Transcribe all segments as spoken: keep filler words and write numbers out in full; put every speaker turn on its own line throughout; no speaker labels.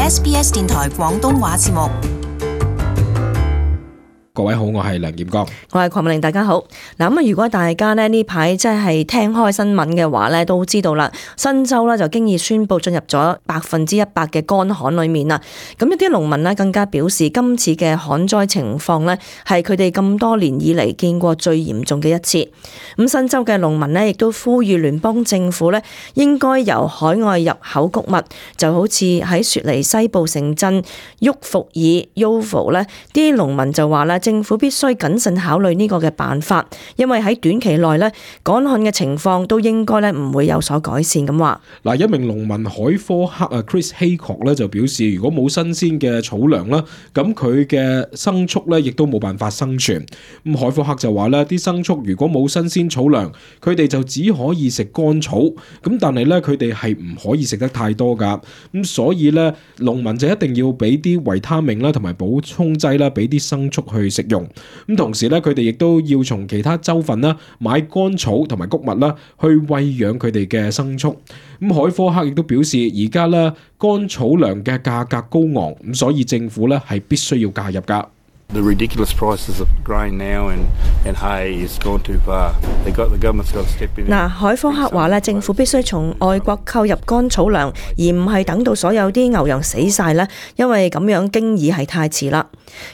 S B S 電台廣東話節目。
各位好，我係梁劍剛，
我係鄺美玲，大家好。嗱咁啊，如果大家咧呢排即係聽開新聞嘅話咧，都知道啦，新州咧就經已宣布進入咗百分之一百嘅乾旱裏面啦。咁一啲農民咧更加表示，今次嘅旱災情況咧係佢哋咁多年以嚟見過最嚴重嘅一次。咁新州嘅農民咧亦都呼籲聯邦政府咧應該由海外入口穀物，就好似喺雪梨西部城鎮沃福爾 Yeovil 咧，啲農民就話咧，政府必須謹慎考慮呢個嘅辦法，因為喺短期內咧乾旱嘅情況都應該咧唔會有所改善咁話。
嗱，一名農民海科克啊 Chris Haycock 咧就表示，如果冇新鮮嘅草糧啦，咁佢嘅牲畜咧亦都冇辦法生存。咁海科克就話咧，啲牲畜如果冇新鮮草糧，佢哋就只可以食乾草。咁但係咧，佢哋係唔可以食得太多噶。咁所以咧，農民就一定要俾啲維他命啦，同埋補充劑啦，俾啲牲畜去食用。咁同時咧，佢哋亦都要從其他州份啦買乾草同埋穀物啦，去餵養佢哋嘅牲畜。咁海科克亦都表示，而家咧乾草糧嘅價格高昂，咁所以政府咧係必須要介入噶。
The ridiculous prices of grain now and and hay is gone too far. They got the government's got to step in.
嗱，海科克話咧，政府必須從外國購入乾草糧，而唔係等到所有啲牛羊死晒咧，因為咁樣經已係太遲啦。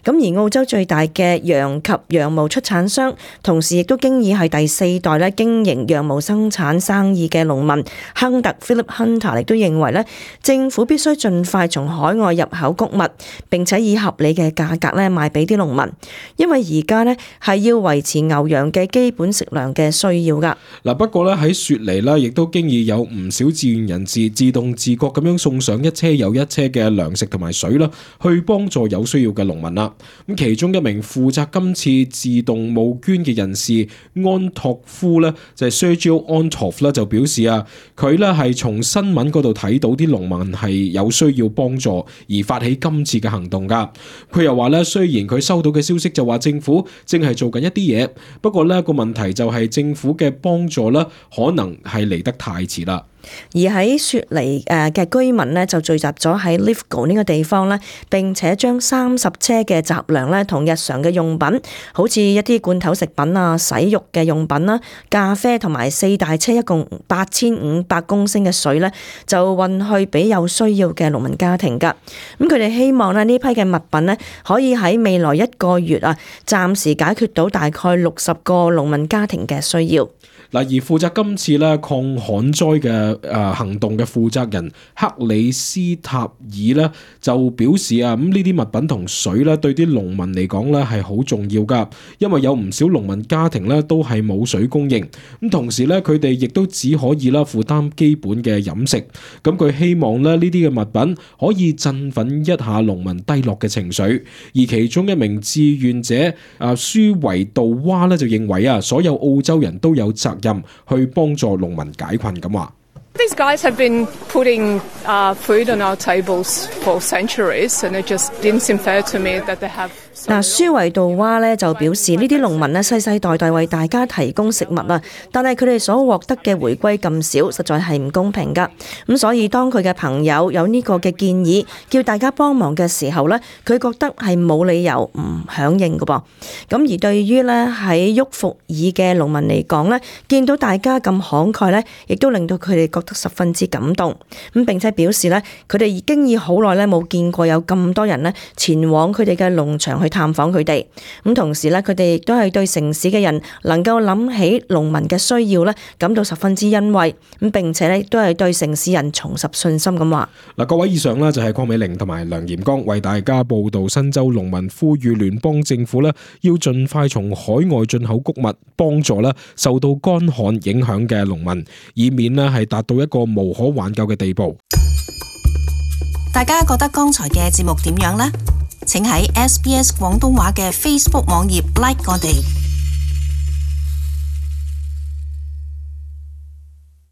咁而澳洲最大嘅羊及羊毛出產商，同時亦都經已係第四代咧經營羊毛生產生意嘅農民亨特 Philip Hunter 亦都認為咧，政府必須盡快從海外入口穀物，並且以合理嘅價格咧賣俾啲農民，因為而家咧係要維持牛羊嘅基本食糧嘅需要噶。
嗱，不過咧喺雪梨咧，亦都經已有唔少志願人士自動自覺咁樣送上一車又一車嘅糧食同埋水啦，去幫助有需要嘅農民啦。咁其中一名負責今次自動募捐嘅人士安托夫咧，就係 Sergio Antov 咧就表示啊，佢咧係從新聞嗰度睇到啲農民係有需要幫助而發起今次嘅行動噶。佢又話咧，雖然佢收到嘅消息就話政府正係做緊一啲嘢，不過呢個問題就係政府嘅幫助咧，可能係嚟得太遲啦。
而喺雪梨誒嘅居民呢，就聚集咗喺 Lithgow 呢個地方呢，並且將三十車嘅雜糧呢同日常嘅用品，好似一啲罐頭食品啊、洗浴嘅用品啦、咖啡同埋四大車一共八千五百公升嘅水呢，就運去俾有需要嘅農民家庭㗎。咁佢哋希望呢呢批嘅物品呢，可以喺未來一個月啊，暫時解決到大概六十個農民家庭嘅需要。
嗱，而負責今次咧抗旱災嘅誒行動嘅負責人克里斯塔爾咧就表示啊，咁呢啲物品同水咧對啲農民嚟講咧係好重要噶，因為有唔少農民家庭咧都係冇水供應，咁同時咧佢哋亦都只可以啦負擔基本嘅飲食。咁佢希望咧呢啲嘅物品可以振奮一下農民低落嘅情緒。而其中一名志願者啊舒維杜娃咧就認為啊，所有澳洲人都有責任去幫助農民解困咁話。
These guys have been putting uh, food on our tables for centuries, and it just didn't seem fair to me that they have.
嗱，舒維杜娃咧就表示，呢啲農民咧世世代代為大家提供食物啊，但係佢哋所獲得嘅回歸咁少，實在係唔公平噶。咁所以當佢嘅朋友有呢個嘅建議，叫大家幫忙嘅時候咧，佢覺得係冇理由唔響應噶噃。咁而對於咧喺沃福爾嘅農民嚟講咧，見到大家咁慷慨咧，亦都令到佢哋覺得十分之感動。咁並且表示咧，佢哋已經已好耐咧冇見過有咁多人咧前往佢哋嘅農場去探訪佢哋。咁同時咧，佢哋亦都係對城市嘅人能夠諗起農民嘅需要咧，感到十分之欣慰。咁並且咧，亦都係對城市人重拾信心咁話。
嗱，各位以上咧就係鄺美玲同埋梁炎剛為大家報道新州農民呼籲聯邦政府咧要盡快從海外進口穀物，幫助咧受到乾旱影響嘅農民，以免咧係達到一個無可挽救嘅地步。
大家覺得剛才嘅節目點樣呢？請喺 S B S 廣東話嘅 Facebook 網頁 like 我哋。